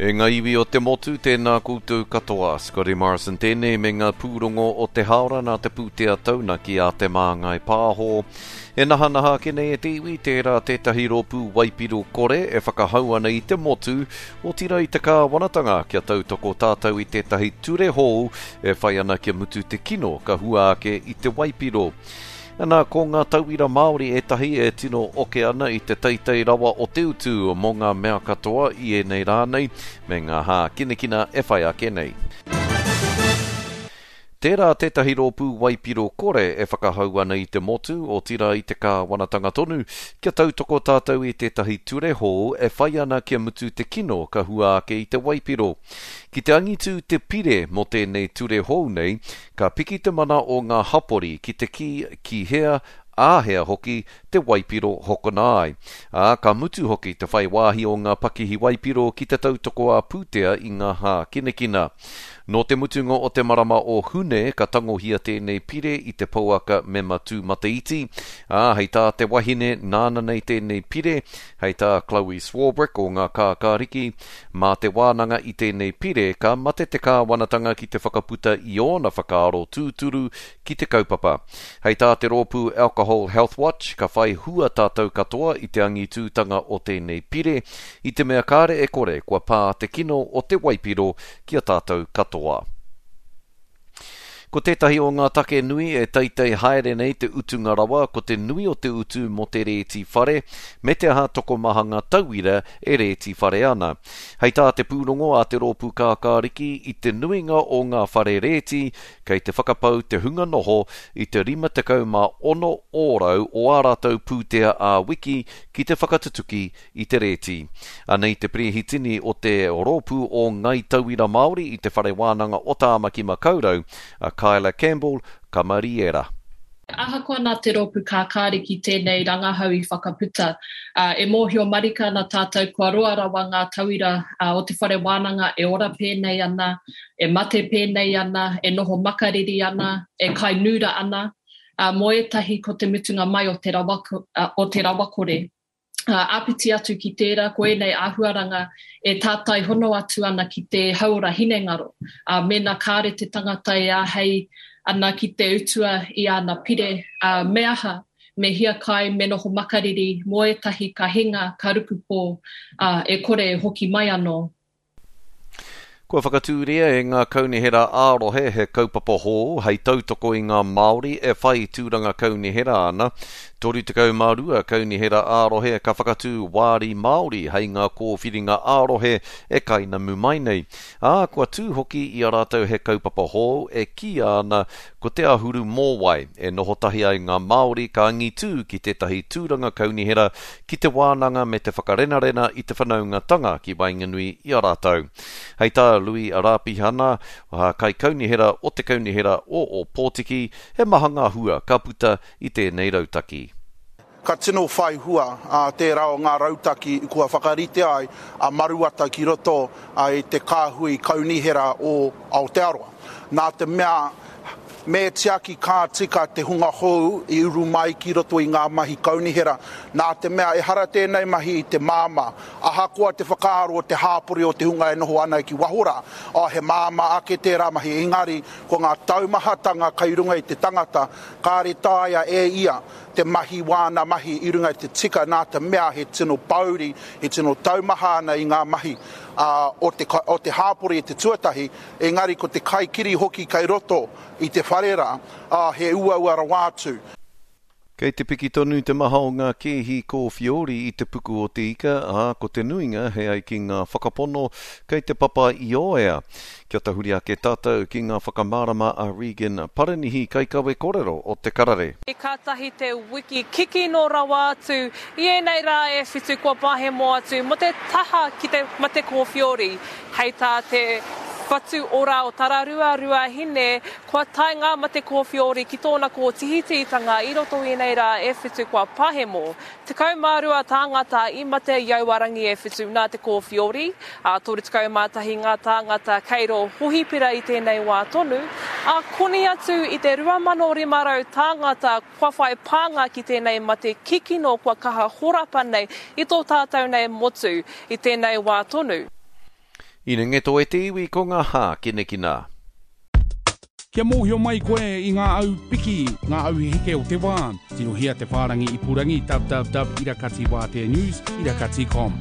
E ngā iwi o te motu, tēnā koutou katoa. Scotty Morrison tēnei me ngā pūrongo o te hāora nā te pūtea taunaki a Te Māngai Pāho. E nahanaha ake nei e te iwi, tērā tētahi rōpū waipiro kore e whakahau ana i te motu, otirā i te kāwanatanga kia tautoko tātou i tētahi ture hou e whai ana kia mutu te kino ka hua ake i te waipiro. Ana, ko ngā tauira Māori ētahi e tino oke ana i te teitei rawa o te utu mō ngā mea katoa i ēnei rā nei, me ngā hākinakina e whai ake nei. Tērā tētahi rōpū waipiro kore e whakahau ana i te motu, otirā i te kāwanatanga tonu, kia tautoko tātou i tētahi ture hou e whai ana kia mutu te kino ka hua ake i te waipiro. Ki te angitu te pire mō tēnei ture hou nei, Ka piki te mana o ngā hapori ki te kī ki hea, āhea hoki, te waipiro hokona ai. Ā, ka mutu hoki te whai wāhi o ngā pakihi waipiro ki te tautoko ā-pūtea i ngā hākinakina. Nō te mutunga o te marama o Hune ka tangohia tēnei pire i te pouaka mema tūmataiti, ā, hei tā te wahine nāna nei tēnei pire, hei tā Chloe Swarbrick o Ngā Kākāriki, Mā te wānanga i tēnei pire ka mate te kāwanatanga ki te whakaputa i ōna whakaaro tūturu ki te kaupapa. Hei tā te rōpū Alcohol Health Watch, ka whai hua tātou katoa i te angitūtanga o tēnei pire, i te mea kāre e kore kua pā te kino o te waipiro ki a tātou katoa. Ko tētahi o ngā take nui e teitei haere nei te utunga rawa ko te nui o te utu mō te rēti whare, me te aha tokomaha ngā tauira e rēti whare ana. Hei tā te pūrongo a te Rōpū Kākāriki, i te nuinga o ngā whare rēti, kei te whakapau te hunga noho i te 56 ōrau o ā rātou pūtea ā-wiki ki te whakatutuki i te rēti. Anei te perehitini o te Rōpū o Ngai Tauira Māori i Te Whare Wānanga o Tāmaki Makaurau, a Kyla Campbell Kamariera. Ahakoa nā te Rōpū Kākāriki tēnei rangahau i whakaputa, e mōhio marika ana tātou kua roa rawa ngā tauira o te whare wānanga e ora pēnei ana, e mate pēnei ana, e noho makariri ana, e kai nūra ana, mō ētahi ko te mutunga mai o te rawakore. Āpiti atu ki tērā, ko ēnei āhuaranga e tātai hono atu ana ki te hauora hinengaro. Ā, mēnā kāre te tangata e āhei ana ki te utua i āna pire, ā, me aha? Me hiakai, me noho makariri, mō ētahi ka hinga, ka rukupō, ā, e kore e hoki mai anō. Kua whakatūria e ngā kaunihera ā-rohe he kaupapa hou hei tautoko i ngā Māori e whai tūranga kaunihera ana. 32 kaunihera ā-rohe ka whakatū wāri Māori hei ngā kōwhiringa ā-rohe e kainamu mai nei. Ā, kua tū hoki i a rātou he kaupapa hou e kīia ana ko Te Āhuru Mōwai, e noho tahi ai ngā Māori ka angitū ki tētahi tūranga kaunihera ki te wānanga me te whakarenarena i te whanaungatanga ki waenganui i a rātou. Hei tā Lui Rāpihana, Kaikaunihera o te Kaunihera o Ōpōtiki, he maha ngā hua ka puta i tēnei rautaki. Ka tino whai hua tērā o ngā rautaki kua whakaritea ai a Maruata ki roto i te kāhui kaunihera o Aotearoa. Nā te mea me tiaki ka tika te hunga hou i uru mai ki roto i ngā mahi kaunihera, nā te mea ehara tēnei mahi i te māmā. Ahakoa te whakaaro o te hāpori o te hunga e noho ana ki waho rā, oh, he māmā ake tērā mahi, engari ko ngā taumahatanga kai runga i te tangata, kāre taea e ia te mahi wāna mahi i runga i te tika nā te mea he tino pōuri, he tino taumaha ana i ngā mahi o te, o te hāpori i te tuatahi, engari ko te kaikiri hoki kei roto i te whare rā, ā, he uaua rawa atu. Kei te piki tonu te maha o ngā kēhi kōwhiori i te puku o te ika, ā, ko te nuinga, he ai ki ngā whakapono, kei te papa Ioea. Kia tahuri ake tātou ki ngā whakamārama a Regan Paranihi, kaikawe korero o Te Karere. Kātahi te wiki kikino rawa atu i ēnei rā e whitu kua pahemo atu mō te taha ki te mate kōwhiori. Hei tā te Whatu Ora o Tararua Ruahine, kua tae ngā mate kōwhiori ki tōna kōtihitihitanga i roto i ēnei rā e whitu kua pahemo. 12 tāngata i mate i aua rangi e whitu nā te kōwhiori, ā, 31 ngā tāngata kei rō hohipera i tēnei wā tonu, ā, koni atu i te 2,500 tāngata kua whai pānga ki tēnei mate kikino kua kaha horapa nei i tō tātou nei motu i tēnei wā tonu. Inengeto e te iwi ko ngā hākinakina. Kia mōhio mai koe i ngā au piki, ngā au heke o te wā, tirohia te whārangi ipurangi www irakati wātea news irakati com.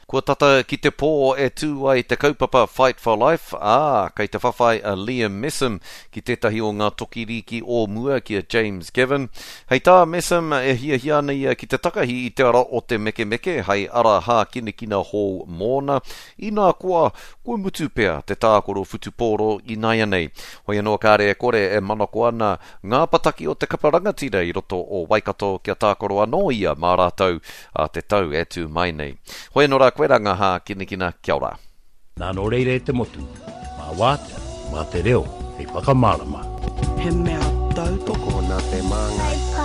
Kua tata ki te pō e tū ai te kaupapa Fight for Life, ā, kei te whawhai a Liam Messam ki tētahi o ngā toki rīki o mua ki a James Gavin. Hei tā Messam, e hiahia ana ia ki te takahi i te ara o te mekemeke hei ara hākinakina hou mōna, inā koa, kua mutu pea te tākaro whutupōro ināianei. Hoi anō kāre e kore e manako ana ngā pataki o te kapa rangatira i roto o Waikato kia tākaro anō ia mā rātou ā te tau e tū mai nei. Hoi anō rā koe rā ngā hākinakina, kia ora. Nā nō reira e te motu, mā Wātea, mā te reo hei whakamārama. He mea tautoko nā te Māngai.